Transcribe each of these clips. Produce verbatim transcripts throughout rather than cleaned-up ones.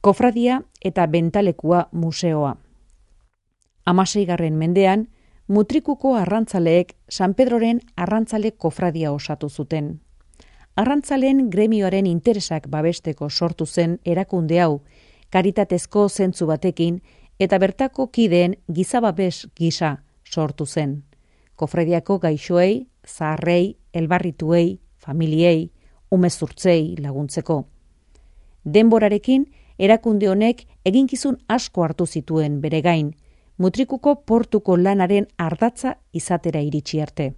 Kofradia eta Bentalekua museoa. Hamaseigarren mendean, Mutrikuko arrantzaleek San Pedroren arrantzale kofradia osatu zuten. Arrantzaleen gremioaren interesak babesteko sortu zen erakunde hau, karitatezko zentzu batekin eta bertako kideen gizababes gisa sortu zen. Kofradiako gaixoei, zaharrei, elbarrituei, familiei, umezurtzei laguntzeko. Denborarekin, erakunde honek eginkizun asko hartu zituen bere gain, Mutrikuko portuko lanaren ardatza izatera iritsi arte.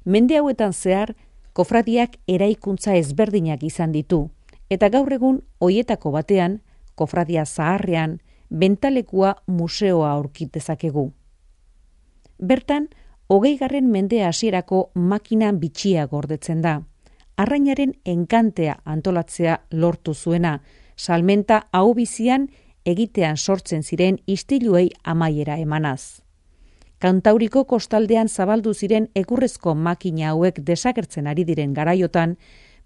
Mende hauetan zehar, kofradiak eraikuntza ezberdinak izan ditu, eta gaur egun hoietako batean, kofradia zaharrean, Bentalekua museoa aurkit dezakegu. Bertan, hogeigarren mende hasierako makina bitxia gordetzen da. Arrainaren enkantea antolatzea lortu zuena, salmenta hau bizian egitean sortzen ziren istiluei amaiera emanaz. Kantauriko kostaldean zabaldu ziren egurrezko makina hauek desagertzen ari diren garaiotan,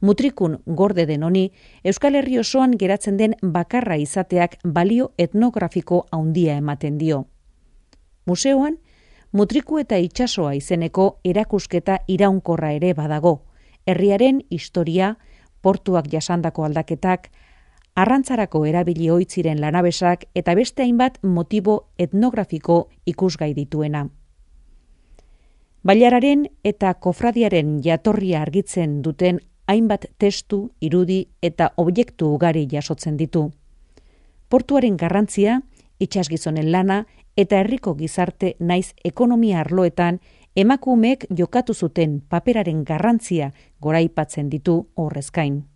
Mutrikun gorde den honi, Euskal Herri osoan geratzen den bakarra izateak balio etnografiko handia ematen dio. Museoan, Mutriku eta itsasoa izeneko erakusketa iraunkorra ere badago, herriaren historia, portuak jasandako aldaketak, arrantzarako erabili oitziren lanabesak eta beste hainbat motibo etnografiko ikusgai dituena. Bailararen eta kofradiaren jatorria argitzen duten hainbat testu, irudi eta objektu ugari jasotzen ditu. Portuaren garrantzia, itsasgizonen lana eta herriko gizarte naiz ekonomia arloetan emakumeek jokatu zuten paperaren garrantzia goraipatzen ditu horrez gain.